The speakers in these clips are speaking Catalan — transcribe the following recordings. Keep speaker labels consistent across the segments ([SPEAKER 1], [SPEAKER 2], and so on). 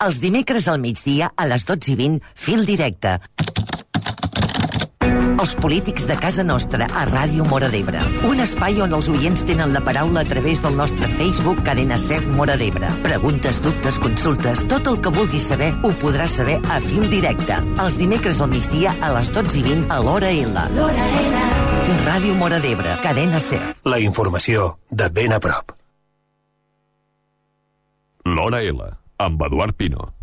[SPEAKER 1] Els dimecres al migdia a les 12:20, Fil Directe. Els polítics de casa nostra a Ràdio Móra d'Ebre. Un espai on els oients tenen la paraula a través del nostre Facebook Cadena Ser Móra d'Ebre. Preguntes, dubtes, consultes, tot el que vulguis saber ho podràs saber a Fil Directe. Els dimecres al migdia a les 12:20 a l'Hora L. L'Hora L. Ràdio Móra d'Ebre, Cadena Ser.
[SPEAKER 2] La informació de ben a prop.
[SPEAKER 3] L'Hora L, amb Eduard Pino.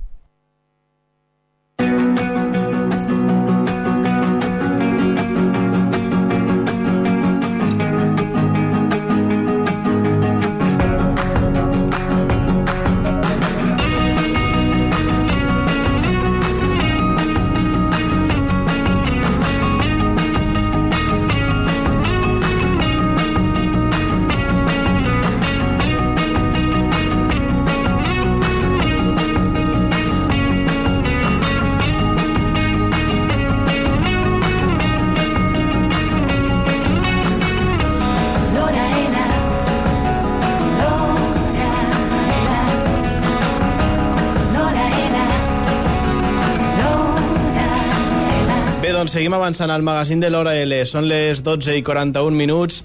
[SPEAKER 4] Doncs seguim avançant al magazín de l'Hora L. Són les 12:41.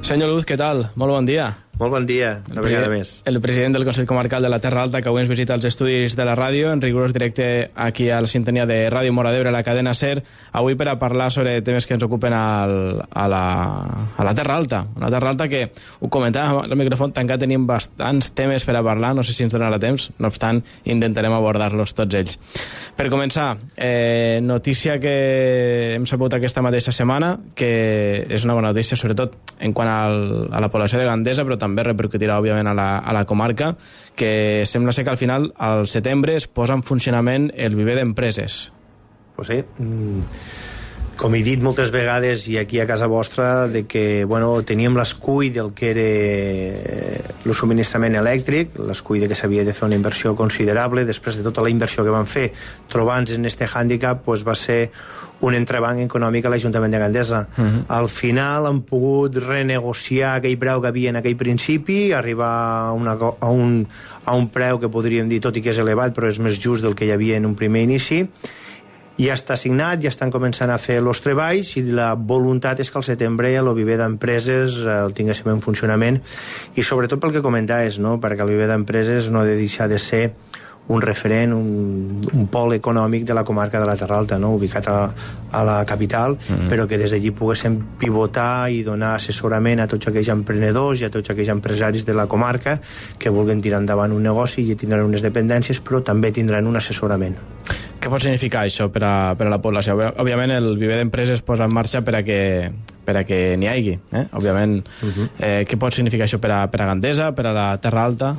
[SPEAKER 4] Senyor Luz, què tal? Molt bon dia.
[SPEAKER 5] Molt bon dia, una vegada més.
[SPEAKER 4] El president del Consell Comarcal de la Terra Alta, que avui ens visita als estudis de la ràdio, en rigorós directe aquí a la sintonia de Ràdio Móra d'Ebre, a la cadena SER, avui per a parlar sobre temes que ens ocupen a la Terra Alta. Una Terra Alta que, ho comentàvem al micròfon tancat, tenim bastants temes per a parlar, no sé si ens donarà temps, no obstant, intentarem abordar-los tots ells. Per començar, notícia que hem sabut aquesta mateixa setmana, que és una bona notícia, sobretot en quant a la població de Gandesa, però també repercutirà, òbviament, a la comarca, que sembla ser que al final, al setembre, es posa en funcionament el viver d'empreses.
[SPEAKER 5] Pues sí, com he dit moltes vegades, i aquí a casa vostra, de que teníem l'escull del que era el subministrament elèctric, l'escull de que s'havia de fer una inversió considerable. Després de tota la inversió que van fer, trobant-se en aquest hàndicap, va ser un entrebanc econòmic a l'Ajuntament de Gandesa. Al final han pogut renegociar aquell preu que havia en aquell principi, arribar a un preu que podríem dir, tot i que és elevat, però és més just del que hi havia en un primer inici. Ja està signat, ja estan començant a fer els treballs, i la voluntat és que al setembre el viver d'empreses el tinguéssim en funcionament, i sobretot pel que comentaves, no? Perquè el viver d'empreses no ha de deixar de ser un referent, un pol econòmic de la comarca de la Terra Alta, no? Ubicat a la capital, però que des d'allí poguéssim pivotar i donar assessorament a tots aquells emprenedors i a tots aquells empresaris de la comarca que vulguin tirar endavant un negoci, i tindran unes dependències, però també tindran un assessorament.
[SPEAKER 4] Què pot significar això per a la població? Òbviament el viver d'empreses es posa en marxa per a que n'hi hagi, òbviament. Què pot significar això per a Gandesa, per a la Terra Alta?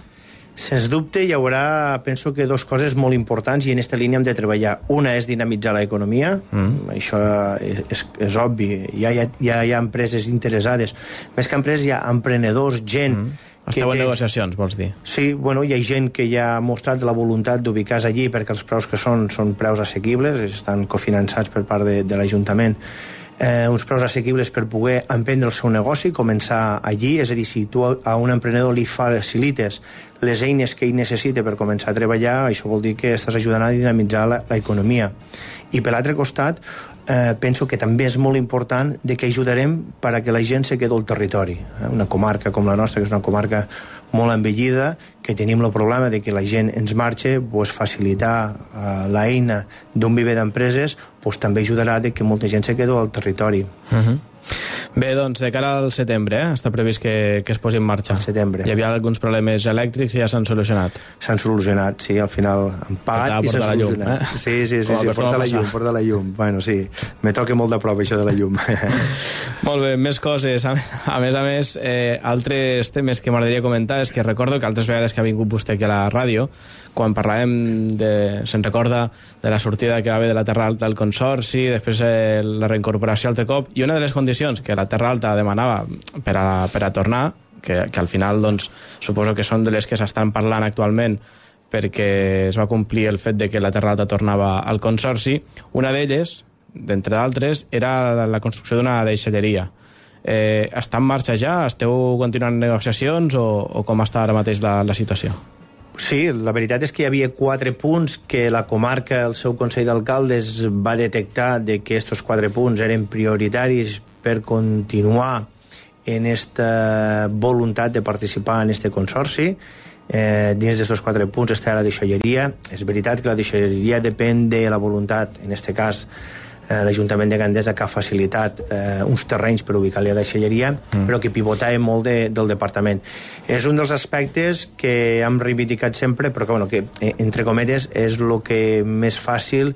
[SPEAKER 5] Sens dubte hi haurà, penso que, dues coses molt importants, i en aquesta línia hem de treballar. Una és dinamitzar l'economia, això és obvi, ja hi ha empreses interessades, més que empreses hi ha emprenedors, gent...
[SPEAKER 4] Esteu en negociacions, vols dir?
[SPEAKER 5] Sí, hi ha gent que ja ha mostrat la voluntat d'ubicar-se allí, perquè els preus que són preus assequibles, estan cofinançats per part de l'Ajuntament, uns preus assequibles per poder emprendre el seu negoci, començar allí. És a dir, si tu a un emprenedor li facilites les eines que ell necessita per començar a treballar, això vol dir que estàs ajudant a dinamitzar l'economia. I per l'altre costat, penso que també és molt important de que ajudarem per a que la gent se quedi al territori. Una comarca com la nostra, que és una comarca molt envellida, que tenim el problema de que la gent ens marxa, facilitar l'eina d'un viver d'empreses també ajudarà de que molta gent se quedi al territori.
[SPEAKER 4] Bé, doncs, de cara al setembre, està previst que es posi en marxa.
[SPEAKER 5] Al setembre.
[SPEAKER 4] Hi havia alguns problemes elèctrics i ja s'han solucionat.
[SPEAKER 5] S'han solucionat, sí, al final han pagat i s'han solucionat. Sí, porta la llum. Bueno, sí, me toca molt de prop això de la llum.
[SPEAKER 4] Molt bé, més coses. A més, altres temes que m'agradaria comentar és que recordo que altres vegades que ha vingut vostè aquí a la ràdio, quan parlàvem se'n recorda de la sortida que va haver de la Terra Alta al Consorci, després la reincorporació altre cop, i una de les condicions que la Terra Alta demanava per a tornar, que al final doncs, suposo que són de les que s'estan parlant actualment perquè es va complir el fet de que la Terra Alta tornava al Consorci, una d'elles, d'entre d'altres, era la construcció d'una deixalleria. Està en marxa ja? Esteu continuant negociacions o com està ara mateix la situació?
[SPEAKER 5] Sí, la veritat és que hi havia 4 punts que la comarca, el seu Consell d'Alcaldes, va detectar de que aquests 4 punts eren prioritaris per continuar en esta voluntat de participar en este consorci. Dins d'aquests 4 punts està la deixalleria. És veritat que la deixalleria depèn de la voluntat, en este cas l'Ajuntament de Gandesa, que ha facilitat uns terrenys per ubicar-li a la deixalleria, però que pivotava molt del departament. És un dels aspectes que hem reivindicat sempre, però que, bueno, que entre cometes, és el que més fàcil,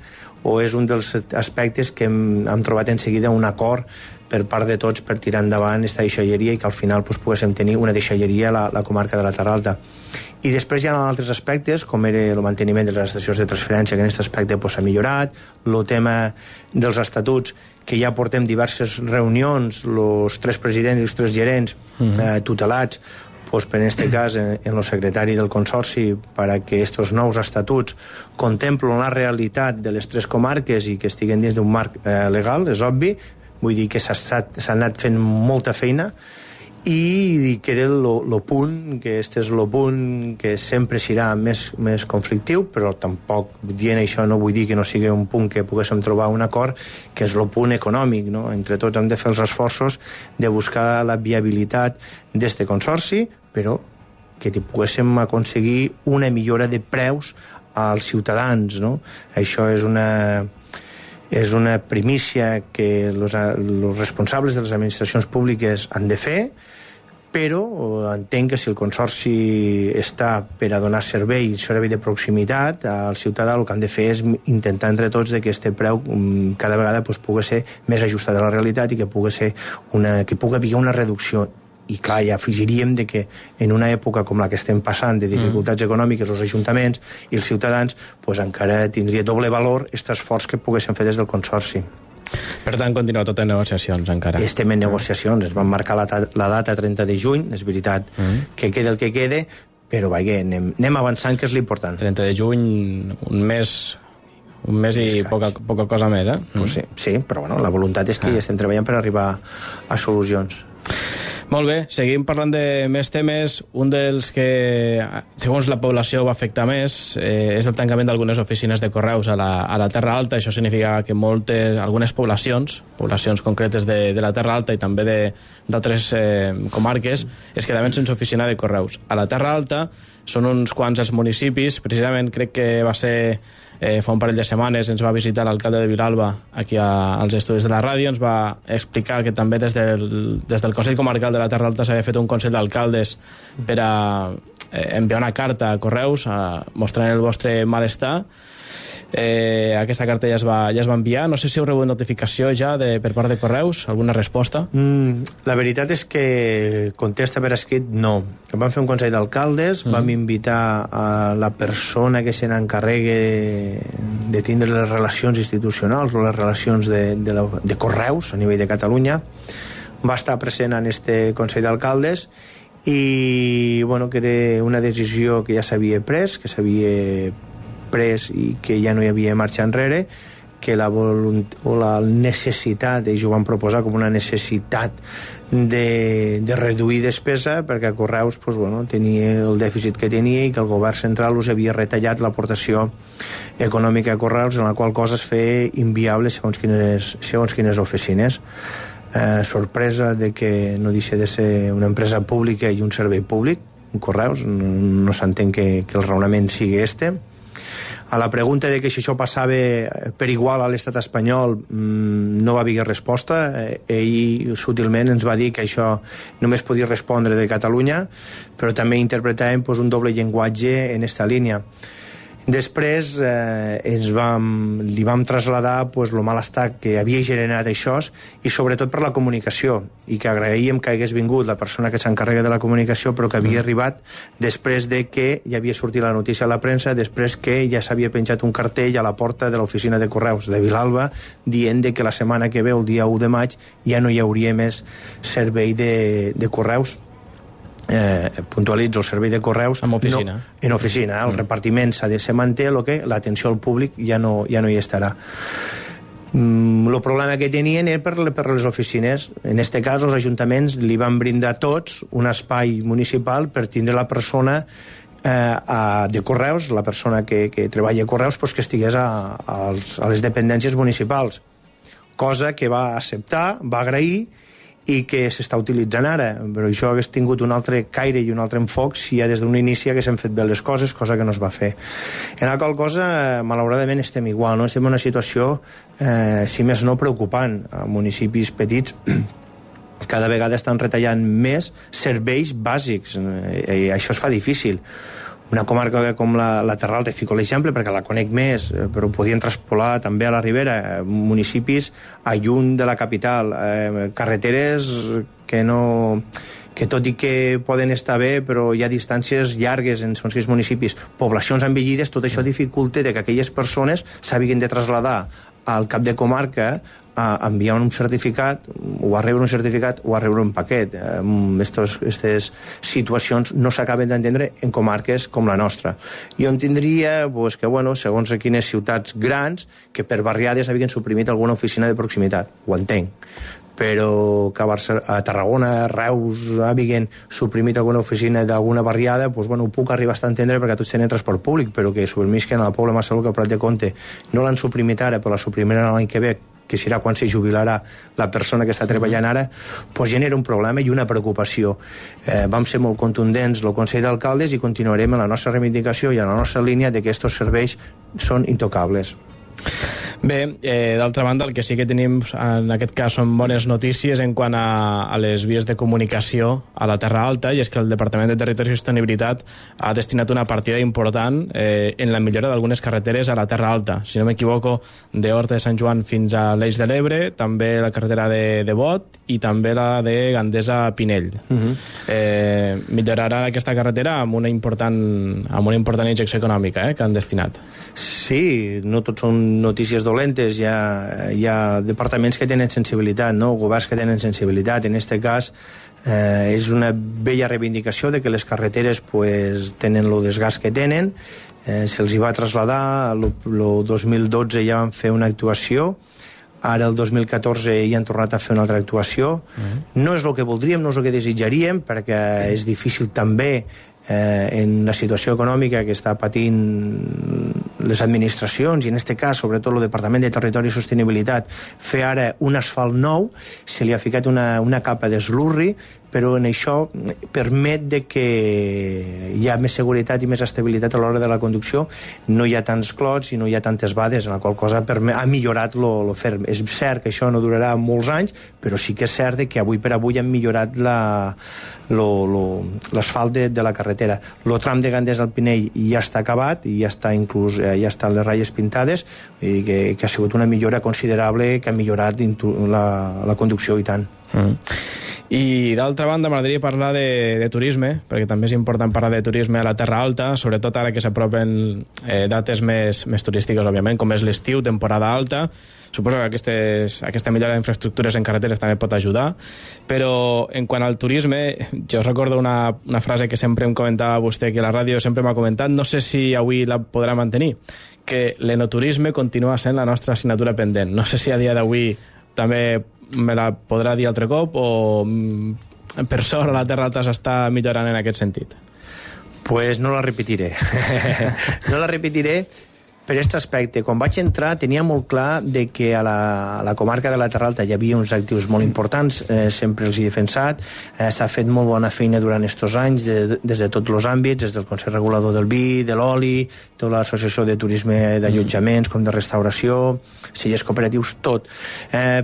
[SPEAKER 5] o és un dels aspectes que hem trobat en seguida un acord per part de tots per tirar endavant aquesta deixalleria i que al final pues, poguéssim tenir una deixalleria a la comarca de la Terra Alta. I després hi ha altres aspectes, com era el manteniment de les estacions de transferència, que en aquest aspecte s'ha millorat, el tema dels estatuts, que ja portem diverses reunions, els 3 presidents i els 3 gerents tutelats, pues, per en aquest cas en el secretari del Consorci, perquè aquests nous estatuts contemplen la realitat de les 3 comarques i que estiguen dins d'un marc legal, és obvi. Vull dir que s'ha anat fent molta feina i queda el punt, que este és el punt que sempre serà més conflictiu, però tampoc dient això no vull dir que no sigui un punt que poguéssim trobar un acord, que és el punt econòmic, no? Entre tots hem de fer els esforços de buscar la viabilitat d'este consorci, però que poguéssim aconseguir una millora de preus als ciutadans, no? Això és una primícia que els responsables de les administracions públiques han de fer, però entenc que si el Consorci està per a donar servei de proximitat al ciutadà, el que han de fer és intentar entre tots que aquest preu cada vegada pugui ser més ajustat a la realitat i que pugui haver una reducció. I clar, ja afegiríem que en una època com la que estem passant de dificultats econòmiques els ajuntaments i els ciutadans, encara tindria doble valor aquest esforç que poguessin fer des del Consorci.
[SPEAKER 4] Per tant, continua tot en negociacions encara.
[SPEAKER 5] Estem en negociacions, es van marcar la data 30 de juny, és veritat que queda el que quede, però anem avançant, que és l'important.
[SPEAKER 4] 30 de juny, un mes i poca cosa més,
[SPEAKER 5] Pues sí, però bueno, la voluntat és que hi estem treballant per arribar a solucions.
[SPEAKER 4] Molt bé, seguim parlant de més temes. Un dels que, segons la població, va afectar més és el tancament d'algunes oficines de correus a la Terra Alta. Això significa que algunes poblacions concretes de la Terra Alta i també d'altres comarques es quedaven sense oficina de correus. A la Terra Alta són uns quants els municipis, precisament crec que va ser fa un parell de setmanes ens va visitar l'alcalde de Vilalba aquí als estudis de la ràdio, ens va explicar que també des del Consell Comarcal de la Terra Alta s'havia fet un consell d'alcaldes per a enviar una carta a Correus mostrant el vostre malestar. Aquesta carta ja es va enviar. No sé si heu rebut notificació ja per part de Correus, alguna resposta?
[SPEAKER 5] La veritat és que contesta per escrit no. Vam fer un consell d'alcaldes, vam invitar a la persona que se n'encarregue de tindre les relacions institucionals o les relacions de Correus a nivell de Catalunya. Va estar present en este consell d'alcaldes i que era una decisió que ja s'havia pres, i que ja no hi havia marxa enrere, que la necessitat, ells ho van proposar com una necessitat de reduir despesa, perquè Correus tenia el dèficit que tenia i que el govern central us havia retallat l'aportació econòmica a Correus, en la qual cosa es feia inviable segons quines oficines. Sorpresa de que no deixa de ser una empresa pública i un servei públic, Correus, no s'entén que el raonament sigui este. A la pregunta de que si això passava per igual a l'estat espanyol no va haver resposta. Ell sutilment ens va dir que això només podia respondre de Catalunya, però també interpretàvem un doble llenguatge en esta línia. Després li vam traslladar el malestar que havia generat això i sobretot per la comunicació, i que agraïem que hagués vingut la persona que s'encarrega de la comunicació, però que havia arribat després de que ja havia sortit la notícia a la premsa, després que ja s'havia penjat un cartell a la porta de l'oficina de Correus de Vilalba dient que la setmana que ve, el dia 1 de maig, ja no hi hauria més servei de Correus. Puntualitzo, el servei de Correus
[SPEAKER 4] en oficina,
[SPEAKER 5] el repartiment se manté, l'atenció al públic ja no hi estarà. El problema que tenien era per les oficines. En aquest cas els ajuntaments li van brindar tots un espai municipal per tindre la persona de Correus, la persona que treballa a Correus, pues que estigués a les dependències municipals, cosa que va acceptar, va agrair i que s'està utilitzant ara, però això hagués tingut un altre caire i un altre enfoc si ja des d'un inici haguéssim fet bé les coses, cosa que no es va fer. En la qual cosa, malauradament, estem igual, no? Estem en una situació, si més no, preocupant. A municipis petits cada vegada estan retallant més serveis bàsics, i això es fa difícil. Una comarca com la Terra Alta, fico l'exemple perquè la conec més, però ho podien traspolar també a la Ribera, municipis a lluny de la capital, carreteres que tot i que poden estar bé, però hi ha distàncies llargues en aquests municipis, poblacions envellides, tot això dificulta que aquelles persones s'hagin de traslladar al cap de comarca a enviar un certificat, o a rebre un certificat, o a rebre un paquet. Aquestes situacions no s'acaben d'entendre en comarques com la nostra. Jo entendria que, segons a quines ciutats grans, que per barriades havien suprimit alguna oficina de proximitat. Ho entenc. Però que a Tarragona, a Reus, havien suprimit alguna oficina d'alguna barriada, ho puc arribar a entendre perquè tots tenen transport públic, però que submisquen a la Pobla Massaluca, que a Prat de Comte no l'han suprimit ara, però la suprimiran l'any que ve, que serà quan se jubilarà la persona que està treballant ara, genera un problema i una preocupació. Vam ser molt contundents el Consell d'Alcaldes i continuarem en la nostra reivindicació i en la nostra línia de que aquests serveis són intocables.
[SPEAKER 4] Bé, d'altra banda, el que sí que tenim en aquest cas són bones notícies en quant a les vies de comunicació a la Terra Alta, i és que el Departament de Territori i Sostenibilitat ha destinat una partida important en la millora d'algunes carreteres a la Terra Alta. Si no m'equivoco, d'Horta de Sant Joan fins a l'Eix de l'Ebre, també la carretera de Bot i també la de Gandesa a Pinell. Millorarà aquesta carretera amb una important injecció econòmica que han destinat.
[SPEAKER 5] Sí, no tots són notícies dolentes, hi ha departaments que tenen sensibilitat, no? Governs que tenen sensibilitat. En aquest cas és una bella reivindicació de que les carreteres tenen el desgast que tenen. Se'ls hi va traslladar, el 2012 ja van fer una actuació, ara el 2014 hi han tornat a fer una altra actuació. No és el que voldríem, no és el que desitjaríem, perquè és difícil també en la situació econòmica que està patint les administracions, i en aquest cas sobretot el Departament de Territori i Sostenibilitat, fer ara un asfalt nou, se li ha ficat una capa d'eslurri, però en això permet de que hi ha més seguretat i més estabilitat a l'hora de la conducció, no hi ha tants clots i no hi ha tantes vades, en la qual cosa ha millorat lo ferm. És cert que això no durarà molts anys, però sí que és cert que avui per avui han millorat l'asfalt de la carretera. El tram de Gandesa al Pinell ja està acabat i ja estan les ratlles pintades, i que ha sigut una millora considerable, que ha millorat la conducció i tant.
[SPEAKER 4] I d'altra banda m'agradaria parlar de turisme, perquè també és important parlar de turisme a la Terra Alta, sobretot ara que s'apropen dates més turístiques, òbviament, com és l'estiu, temporada alta. Suposo que aquesta millora d'infraestructures en carreteres també pot ajudar, però en quant al turisme, jo recordo una frase que sempre em comentava vostè, que la ràdio sempre m'ha comentat, no sé si avui la podrà mantenir, que l'enoturisme continua sent la nostra assignatura pendent. No sé si a dia d'avui també me la podrà dir altre cop, o per sort la Terra Alta s'està millorant en aquest sentit?
[SPEAKER 5] Pues no la repetiré. No la repetiré per aquest aspecte. Quan vaig entrar tenia molt clar de que a la comarca de la Terra Alta hi havia uns actius molt importants, sempre els he defensat, s'ha fet molt bona feina durant aquests anys des de tots els àmbits, des del Consell Regulador del Vi, de l'Oli, tota l'Associació de Turisme d'Allotjaments com de restauració, cellers cooperatius, tot.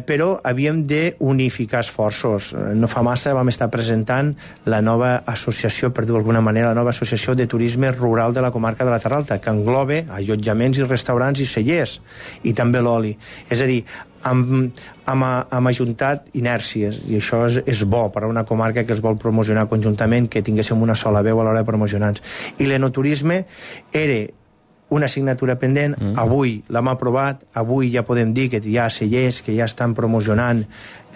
[SPEAKER 5] Però havíem d'unificar esforços. No fa massa vam estar presentant la nova associació, per dir-ho d'alguna manera, la nova associació de turisme rural de la comarca de la Terra Alta, que engloba allotjaments i restaurants i cellers, i també l'oli. És a dir, hem ajuntat inèrcies, i això és bo per a una comarca que es vol promocionar conjuntament, que tinguéssim una sola veu a l'hora de promocionar-nos. I l'enoturisme era una assignatura pendent, avui l'hem aprovat, avui ja podem dir que hi ha cellers que ja estan promocionant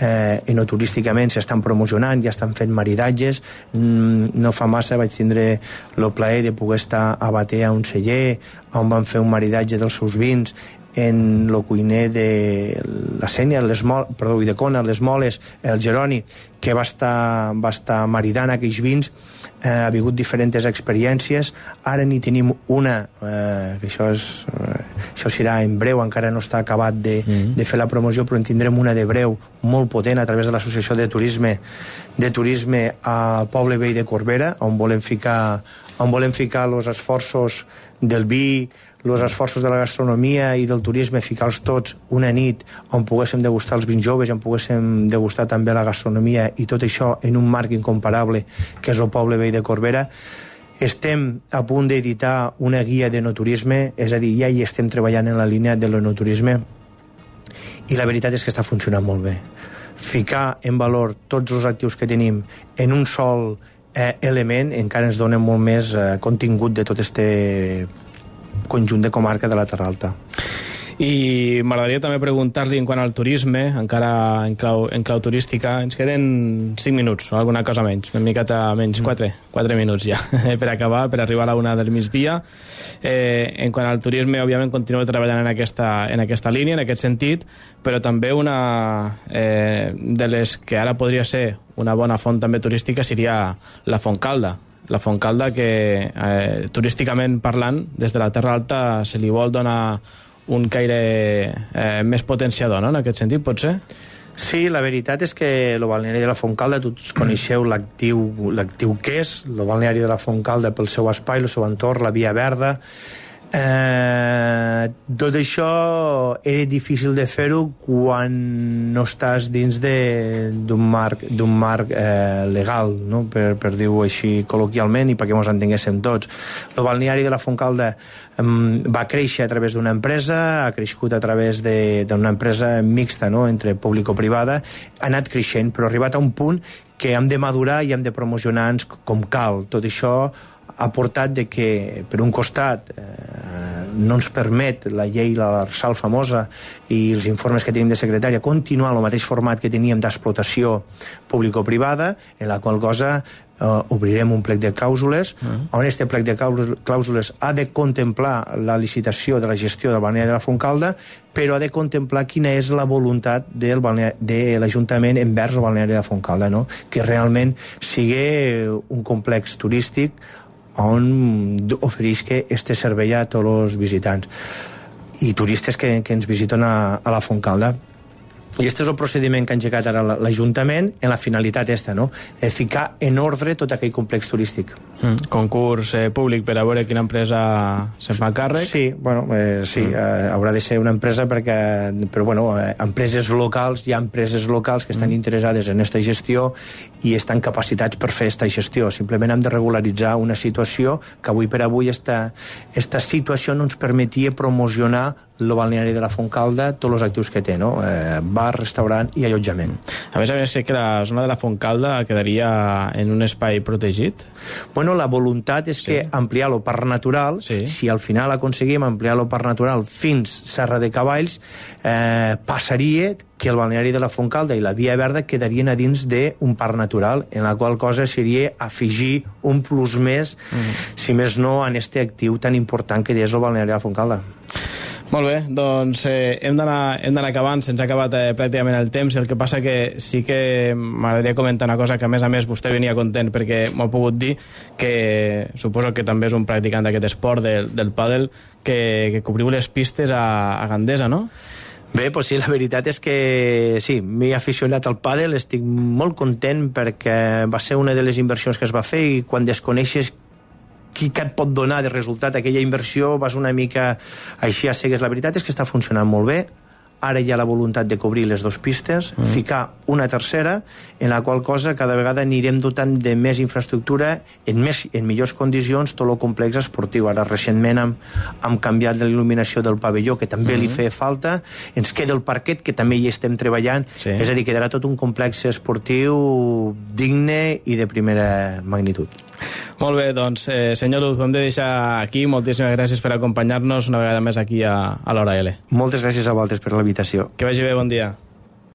[SPEAKER 5] enoturísticament, s'estan promocionant, ja estan fent maridatges. No fa massa vaig tindre el plaer de poder estar a Batea a un celler on van fer un maridatge dels seus vins en el cuiner de la Sènia, i de Cona, les Moles, el Jeroni, que va estar maridant aquells vins, ha hagut diferents experiències. Ara n'hi tenim una, que això serà en breu, encara no està acabat de fer la promoció, però en tindrem una de breu molt potent a través de l'Associació de Turisme al poble veí de Corbera, on volem ficar els esforços del vi, els esforços de la gastronomia i del turisme, ficar-los tots una nit on poguéssim degustar els vins joves, on poguéssim degustar també la gastronomia, i tot això en un marc incomparable que és el poble veí de Corbera. Estem a punt d'editar una guia de no-turisme, és a dir, ja hi estem treballant en la línia de l'enoturisme, i la veritat és que està funcionant molt bé. Ficar en valor tots els actius que tenim en un sol element encara ens dona molt més contingut de tot este conjunt de comarca de la Terra Alta.
[SPEAKER 4] I m'agradaria també preguntar-li en quant al turisme, encara en clau turística. Ens queden 5 minuts, o alguna cosa menys, una miqueta menys, 4 minuts ja, per acabar, per arribar a la 1 del migdia. En quant al turisme, òbviament, continuo treballant en aquesta línia, en aquest sentit, però també una de les que ara podria ser una bona font també turística seria la Fontcalda. La Fontcalda, que turísticament parlant, des de la Terra Alta se li vol donar un caire més potenciador, no?, en aquest sentit, pot ser?
[SPEAKER 5] Sí, la veritat és que el balneari de la Fontcalda, tots coneixeu l'actiu que és, el balneari de la Fontcalda pel seu espai, el seu entorn, la Via Verda. Tot això era difícil de fer-ho quan no estàs dins d'un marc legal, no? per dir-ho així col·loquialment i perquè ens entenguéssim tots. El balneari de la Fontcalda va créixer a través d'una empresa, ha crescut a través d'una empresa mixta, no?, entre público-privada, ha anat creixent, però ha arribat a un punt que hem de madurar i hem de promocionar-nos com cal. Tot això ha portat de que, per un costat, no ens permet la llei, l'Arsal famosa, i els informes que tenim de secretària, continuar el mateix format que teníem d'explotació público-privada, en la qual cosa obrirem un plec de clàusules, on aquest plec de clàusules ha de contemplar la licitació de la gestió del balneari de la Fontcalda, però ha de contemplar quina és la voluntat de l'Ajuntament envers el balneari de la Fontcalda, no? Que realment sigui un complex turístic on oferisca este servei a tots els visitants i turistes que ens visiten a la Fontcalda. I aquest és el procediment que ha engegat ara l'Ajuntament en la finalitat esta, no?, de ficar en ordre tot aquell complex turístic.
[SPEAKER 4] Concurs públic per a veure quina empresa se'n fa càrrec?
[SPEAKER 5] Sí, bueno, sí, haurà de ser una empresa però bueno, empreses locals, hi ha empreses locals que estan interessades en aquesta gestió i estan capacitats per fer aquesta gestió. Simplement hem de regularitzar una situació que avui per avui esta situació no ens permetia promocionar el balneari de la Fontcalda, tots els actius que té, no? Bar, restaurant i allotjament.
[SPEAKER 4] A més, crec que la zona de la Fontcalda quedaria en un espai protegit?
[SPEAKER 5] Bueno, la voluntat és que ampliar el parc natural, si al final aconseguim ampliar el parc natural fins Serra de Cavalls, passaria que el balneari de la Fontcalda i la Via Verda quedarien a dins d'un parc natural, en la qual cosa seria afegir un plus més, si més no, en aquest actiu tan important que és el balneari de la Fontcalda.
[SPEAKER 4] Molt bé, doncs hem d'anar acabant, se'ns ha acabat pràcticament el temps, el que passa que sí que m'agradaria comentar una cosa que a més vostè venia content perquè m'ha pogut dir que suposo que també és un practicant d'aquest esport del pàdel, que cobriu les pistes a Gandesa, no?
[SPEAKER 5] Bé, doncs sí, la veritat és que sí, m'he aficionat al pàdel, estic molt content perquè va ser una de les inversions que es va fer i quan desconeixes què et pot donar de resultat aquella inversió vas una mica així a cegues. La veritat és que està funcionant molt bé. Ara hi ha la voluntat de cobrir les 2 pistes, ficar una tercera, en la qual cosa cada vegada anirem dotant de més infraestructura en millors condicions tot el complex esportiu. Ara recentment hem canviat l'il·luminació del pavelló, que també li feia falta, ens queda el parquet, que també hi estem treballant, és a dir, quedarà tot un complex esportiu digne i de primera magnitud.
[SPEAKER 4] Molt bé, doncs, senyor Luz, ho hem de deixar aquí. Moltíssimes gràcies per acompanyar-nos una vegada més aquí a l'Hora L.
[SPEAKER 5] Moltes gràcies a vosaltres per la invitació.
[SPEAKER 4] Que vagi bé, bon dia.